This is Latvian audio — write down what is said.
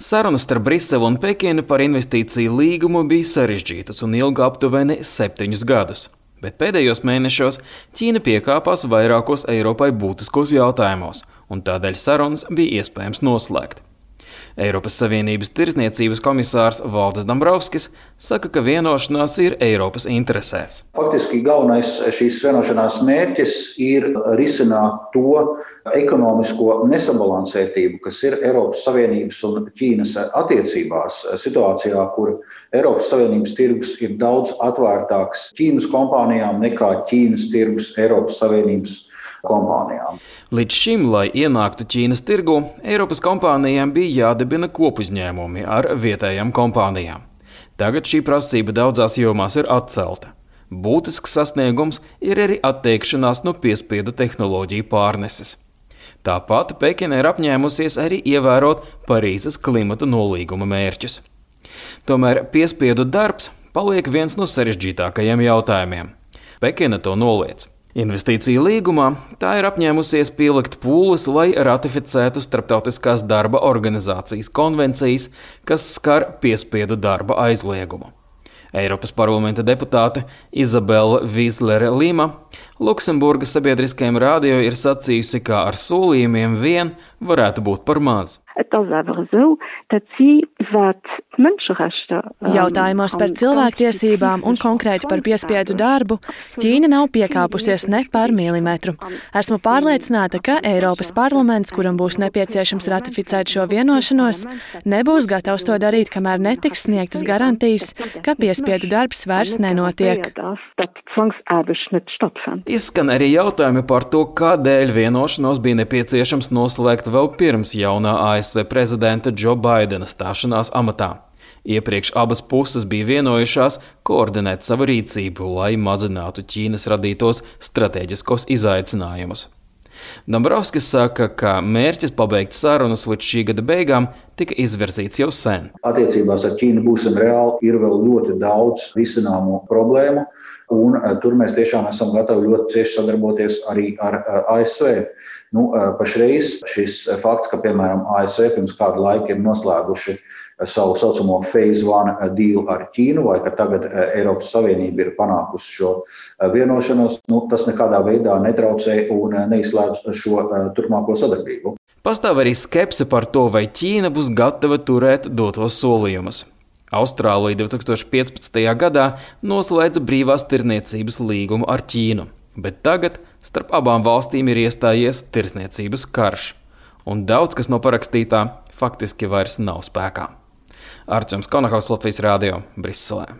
Sarunas starp Briseli un Pekinu par investīciju līgumu bija sarežģītas un ilga aptuveni 7 gadus. Bet pēdējos mēnešos Ķīna piekāpās vairākos Eiropai būtiskos jautājumos, un tādēļ sarunas bija iespējams noslēgt. Eiropas Savienības tirdzniecības komisārs Valdis Dombrovskis saka, ka vienošanās ir Eiropas interesēs. Faktiski galvenais šīs vienošanās mērķis ir risināt to ekonomisko nesabalansētību, kas ir Eiropas Savienības un Ķīnas attiecībās situācijā, kur Eiropas Savienības tirgus ir daudz atvērtāks Ķīnas kompānijām nekā Ķīnas tirgus Eiropas Savienības kompānijām. Līdz šim, lai ienāktu Ķīnas tirgu, Eiropas kompānijām bija jādibina kopuzņēmumi ar vietējām kompānijām. Tagad šī prasība daudzās jomās ir atcelta. Būtisks sasniegums ir arī atteikšanās no piespiedu tehnoloģiju pārneses. Tāpat Pekina ir apņēmusies arī ievērot Parīzes klimata nolīguma mērķus. Tomēr piespiedu darbs paliek viens no sarežģītākajiem jautājumiem. Pekina to noliedz. Investīciju līgumā tā ir apņēmusies pielikt pūles, lai ratificētu Starptautiskās darba organizācijas konvencijas, kas skar piespiedu darba aizliegumu. Eiropas parlamenta deputāte Izabela Vīslere-Lima Luksemburgas sabiedriskajam radio ir sacījusi, ka ar solījumiem vien varētu būt par maz. Jautājumos par cilvēktiesībām un konkrēti par piespiedu darbu Ķīna nav piekāpusies ne par milimetru. Esmu pārliecināta, ka Eiropas parlaments, kuram būs nepieciešams ratificēt šo vienošanos, nebūs gatavs to darīt, kamēr netiks sniegtas garantijas, ka piespiedu darbs vairs nenotiek. Izskan arī jautājumi par to, kādēļ vienošanos bija nepieciešams noslēgt vēl pirms jaunā ASV prezidenta Džo Baidena stāšanās amatā. Iepriekš abas puses bija vienojušās koordinēt savu rīcību, lai mazinātu Ķīnas radītos stratēģiskos izaicinājumus. Dombrovskis saka, ka mērķis pabeigt sarunas līdz šī gada beigām tika izvirzīts jau sen. Attiecībās ar Ķīnu būsim reāli, ir vēl ļoti daudz risināmu problēmu, un tur mēs tiešām esam gatavi ļoti cieši sadarboties arī ar ASV. Pašreiz šis fakts, ka, piemēram, ASV pirms kādu laiku ir noslēguši savu saucamo Phase 1 deal ar Ķīnu, vai ka tagad Eiropas Savienība ir panākusi šo vienošanos, tas nekādā veidā netraucē un neizslēdz šo turpmāko sadarbību. Pastāv arī skepse par to, vai Ķīna būs gatava turēt dotos solījumus. Austrālija 2015. gadā noslēdza brīvās tirdzniecības līgumu ar Ķīnu, bet tagad starp abām valstīm ir iestājies tirdzniecības karš, un daudz kas no parakstītā faktiski vairs nav spēkā. Arčuns Konahaus, Latvijas radio, Briselē.